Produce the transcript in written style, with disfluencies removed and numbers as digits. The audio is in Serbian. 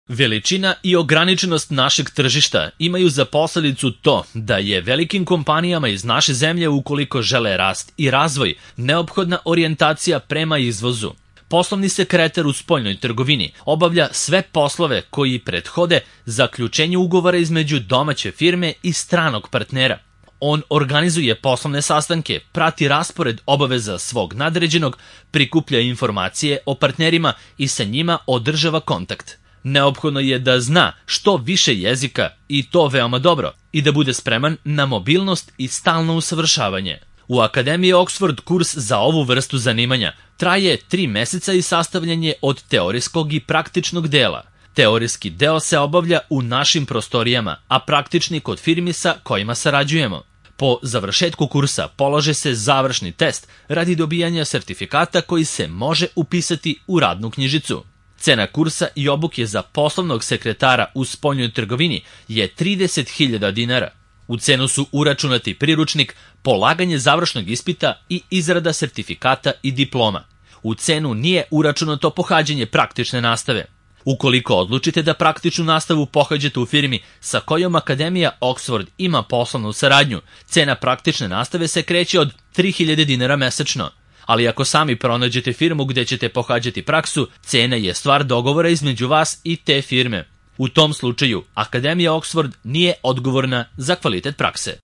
Veličina i ograničenost našeg tržišta imaju za posledicu to da je velikim kompanijama iz naše zemlje, ukoliko žele rast i razvoj, neophodna orijentacija prema izvozu. Poslovni sekretar u spoljnoj trgovini obavlja sve poslove koji prethode zaključenju ugovora između domaće firme i stranog partnera. On organizuje poslovne sastanke, prati raspored obaveza svog nadređenog, prikuplja informacije o partnerima i sa njima održava kontakt. Neophodno je da zna što više jezika i to veoma dobro i da bude spreman na mobilnost i stalno usavršavanje. U Akademiji Oxford kurs za ovu vrstu zanimanja traje 3 meseca i sastavljen je od teorijskog i praktičnog dela. Teorijski deo se obavlja u našim prostorijama, a praktični kod firmi sa kojima sarađujemo. Po završetku kursa polaže se završni test radi dobijanja sertifikata koji se može upisati u radnu knjižicu. Cena kursa i obuke za poslovnog sekretara u spoljnoj trgovini je 30.000 dinara. U cenu su uračunati priručnik, polaganje završnog ispita i izrada sertifikata i diploma. U cenu nije uračunato pohađanje praktične nastave. Ukoliko odlučite da praktičnu nastavu pohađate u firmi sa kojom Akademija Oxford ima poslovnu saradnju, cena praktične nastave se kreće od 3.000 dinara mesečno. Ali ako sami pronađete firmu gde ćete pohađati praksu, cena je stvar dogovora između vas i te firme. U tom slučaju, Akademija Oxford nije odgovorna za kvalitet prakse.